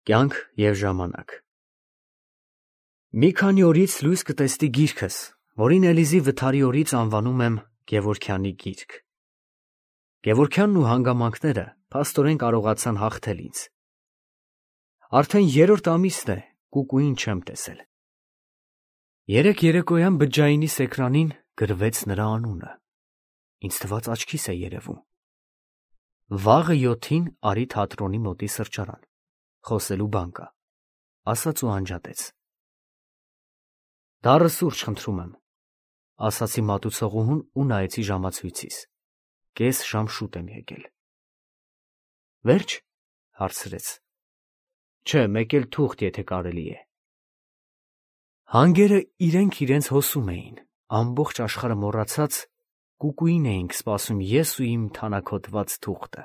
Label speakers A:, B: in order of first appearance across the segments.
A: Կյանք և ժամանակ։ Մի քանի օրից լույս կտեսնի գիրքս, որին Էլիզի վթարի օրից անվանում եմ Գևորգյանի գիրք։ Գևորգյանն ու հանգամանքները փաստորեն կարողացան հաղթել ինձ։ Արդեն երրորդ ամիսն է Կուկուին չեմ տեսել։ Երեկ երեկոյան բջջայինի սեկրանին գրվեց նրա անունը։ Ինձ թվաց աչքիս է երևում։ Վաղը 7-ին արի թատրոնի մոտի սրճարան, խոսելու բան կա, ասաց ու անջատեց։ Դառը սուրճ խնդրում եմ, ասացի մատուցողուհուն ու նայեցի ժամացույցիս։ Կես ժամ շուտ եմ եկել։ Վերջ, հարցրեց։ Չէ, մեկ էլ թուղթ, եթե կարելի է։ Հանգերը իրենց հոսում էին, ամբողջ աշխարհը մոռացած, Կուկուին էինք սպասում ես ու իմ թանաքոտված թուղթը։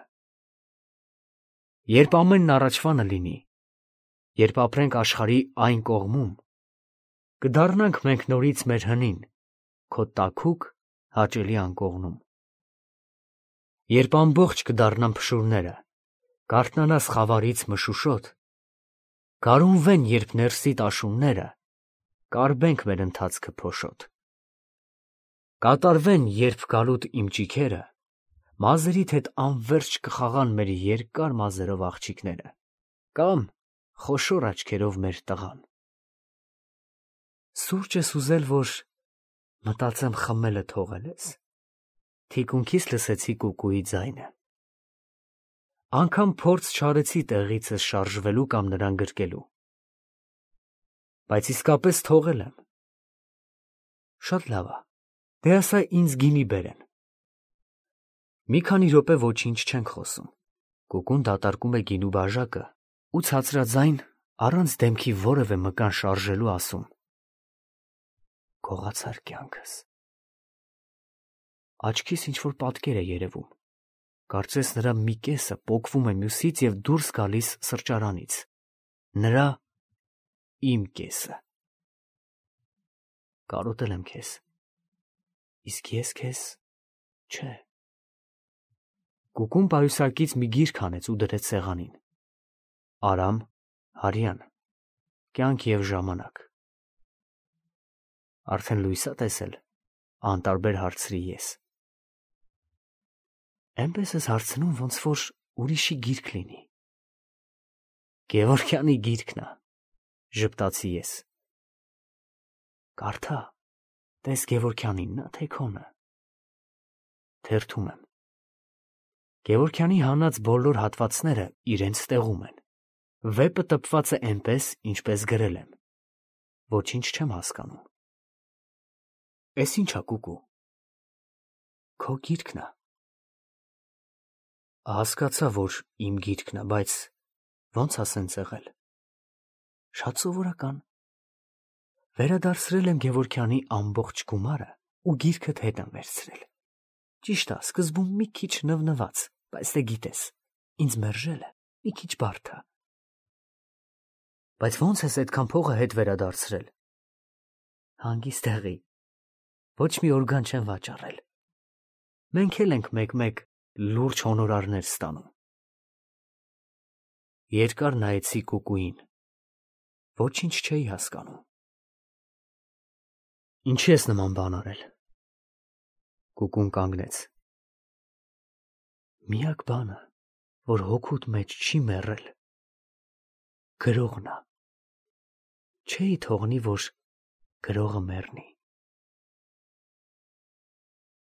A: Երբ ամենն առաջվանը լինի, երբ ապրենք աշխարհի այն կողմում, կդառնանք մենք նորից մեր հնին, քո տաքուկ հաճելի անկողնում։ Երբ ամբողջ կդառնան փշուրները, կարթնանաս խավարից մշուշոտ, կարունվեն երբ ներսիդ աշունները, կարբենք մեր ընթացքը փոշոտ։ Կատարվեն երբ գալուտ իմ ճիքերը, մազերիդ հետ անվերջ կխաղան մեր երկար մազերով աղջիկները, կամ խոշոր աչքերով մեր տղան։ Սուրճ ես ուզել, որ մտածեմ խմելը թողել ես։ Թիկունքիս լսեցի Կուկուի ձայնը։ Անգամ փորձ չարեցի տեղիցս շարժվելու կամ նրան գրկելու։ Բայց իսկապես թողել եմ։ Շատ լավ է, դե ասա ինձ գինի բերեն։ Մի քանի րոպե ոչինչ չենք խոսում։ Կուկուն դատարկում է գինու բաժակը ու ցածրաձայն, առանց դեմքի որևէ մկան շարժելու ասում. Գողացար կյանքս։ Աչքիս ինչ-որ պատկեր է երևում։ Կարծես նրա մի կեսը պոկվում է մյուսից և դուրս գալիս սրճարանից։ Նրա իմ կեսը։ Կարոտել եմ քեզ։ Իսկ ես քեզ չէ։ Կուկուն պայուսակից մի գիրք հանեց ու դրեց սեղանին։ Արամ Հարյան, Կյանք և ժամանակ։ Արդեն լույս ա տեսել, անտարբեր հարցրի ես։ Էնպես ես հարցնում, ոնց որ ուրիշի գիրք լինի։ Գևորգյանի գիրքն ա, ժպտացի ես։ Կարդա, տես Գևորգյանինն ա, թե քոնը։ Թերթում եմ։ Գևորգյանի հանած բոլոր հատվածները իրենց տեղում են։ Վեպը տպված է էնպես, ինչպես գրել եմ։ Ոչինչ չեմ հասկանում։ Էս ինչ ա, Կուկու։ Քո գիրքն ա։ Հասկացա, որ իմ գիրքն ա, բայց ոնց ա սենց եղել։ Շատ սովորական։ Վերադարձրել եմ Գևորգյանի ամբողջ գումարը ու գիրքդ հետ եմ վերցրել։ Ճիշտ ա, սկզբում մի քիչ նվնված, բայց դե գիտես, ինձ մերժելը մի քիչ բարդ ա։ Բայց ոնց ես այդքան փողը հետ վերադարձրել։ Հանգիստ տեղի, ոչ մի օրգան չեմ վաճառել։ Մենք էլ ենք մեկ-մեկ լուրջ հոնորարներ ստանում։ Երկար նայեցի Կուկուին։ Ոչինչ չէի հասկանում։ Ինչի ես նման բան արել։ Կուկուն կանգնեց։ Միակ բանը, որ հոգուդ մեջ չի մեռել, գրողն ա։ Չէի թողնի, որ գրողը մեռնի։